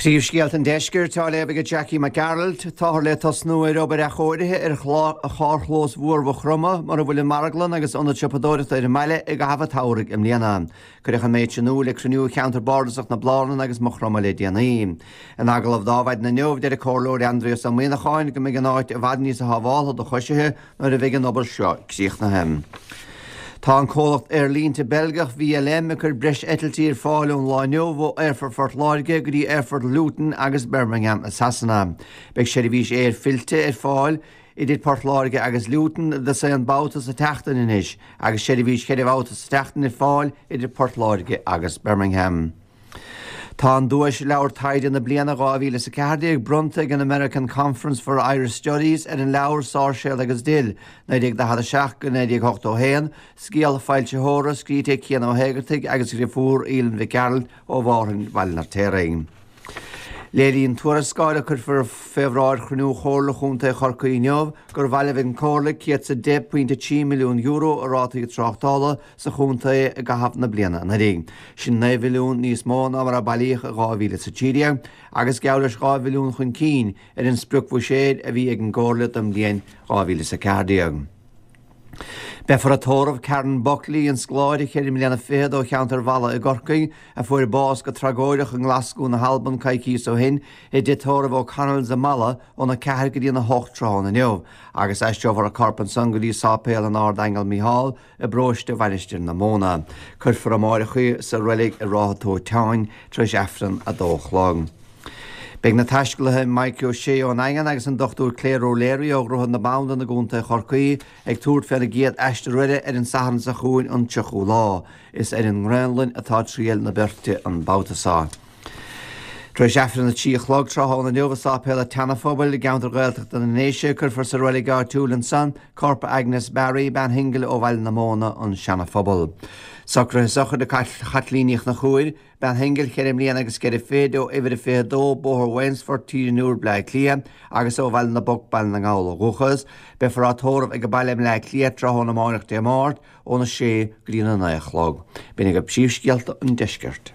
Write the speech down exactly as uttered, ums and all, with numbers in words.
Príomhscéalta an Deiscirt á léamh ag Jackie Mac Gearailt. Táthar le tosnú ar obair athchóirithe ar charrchlós mhór Mhaigh Chromtha mar a bhfuil an marglann agus ionad siopadóireachta ar an mbaile i gcaitheamh an tsamhraidh i mbliana. Cuireadh an méid sin in iúl ag cruinniú Cheantar Bardasach na Blarnan agus Maigh Chromtha le déanaí. In agallamh d'Adhmhaidin inniu, deir an Comhairleoir Aindrias Ó Muíneacháin go mbeidh an áit i bhfad níos sábháltha do choisithe nuair a bheidh an obair seo críochnaithe. Tá an comhlacht aerlínte Beilgeach V L M ag cur breis eitiltí ar fáil ón lá inniu ó Aerfort Phort Láirge go dtí Aerfort Luton agus Birmingham i Sasana. Beidh seirbhís aeir fillte ar fáil idir Port Láirge agus Luton i aon babhta sa tseachtain anois, agus seirbhís ceithre bhabhta sa tseachtain ar fáil idir Port Láirge agus Birmingham. Tá an duais leabhar taighde na bliana dhá mhíle is a ceathair déag bronnta ag an American Conference for Irish Studies ar an leabhar Sáirséal agus Dill naoi déag daichead a seacht go naoi déag ochtó a haon, scéal foilsitheora scríte ag Cian Ó hÉigeartaigh agus deirfiúr Aoileann Mhic Gearailt ó Mhárthain Bhaile an Fheirtéaraigh. Léiríonn tuarascáil a cuirfear fé bhráid chruinniú Chomhairle Chontae Chorcaí inniu gur bhailigh an Chomhairle céad is a deich pointe trí milliún euro i rátaí tráchtála sa chontae i gcaitheamh na bliana anuraidh. Sin naoi mhilliún níos mó ná mar a bailíodh i dhá mhíle is a trí déag agus geall leis dhá mhilliún chun cinn ar an spriocbhuiséad a bhí ag an gComhairle don bhliain dhá mhíle is a ceathair déag. Beifear ag tórramh Karen Buckley, an scoláire ceithre bliana fichead ó cheantar Mhalla i gCorcaigh, a fuair bás go tragóideach i nGlaschú na hAlban coicís ó shin, i dtigh tórraimh O'Connell's i Malla óna ceathair go dtí a hocht tráthnóna inniu, agus aistreofar a corp ansan go dtí Sáipéal an Ardaingil Mícheál i bparóiste Mhainistir na Móna. Cuirfear amárach í sa reilig i Ráth Tóiteáin tar éis Aifreann a dó a chlog. Beidh na taiscéalaithe Mike O'Shea ón Daingean agus an Dochtúir Claire O'Leary ó Dhroichead na Bandan i gContae Chorcaí ag tabhairt féna gcéad aistear eile ar an Satharn seo chugainn, an tríochú lá. Is ar an nGraonlainn atá triall na beirte an babhta seo. Tar éis Aifreann a trí a chlog tráthnóna inniu i Sáipéal an tSeana-Phobail i gceantar Gaeltachta na nDéise, cuirfear sa reilig áitiúil ansan corp Agnes Barry, bean shingil ó Bhaile na Móna, an Seana-Phobal. Socruithe sochraide Chaitlín Ní Chonchúir, bean shingil ceithre mbliana agus ceithre fichid ó uimhir a fiche dó Bóthar Wainsfort, Tír an Iúir, Bleá Cliath, agus ó Bhaile na Bpoc, Baile na nGall ó dhúchas. Beifear á tórramh ag baile i mBleá Cliath tráthnóna amárach Dé Máirt óna sé go dtí na naoi a chlog. B'in agaibh príomhscéalta an deiscirt.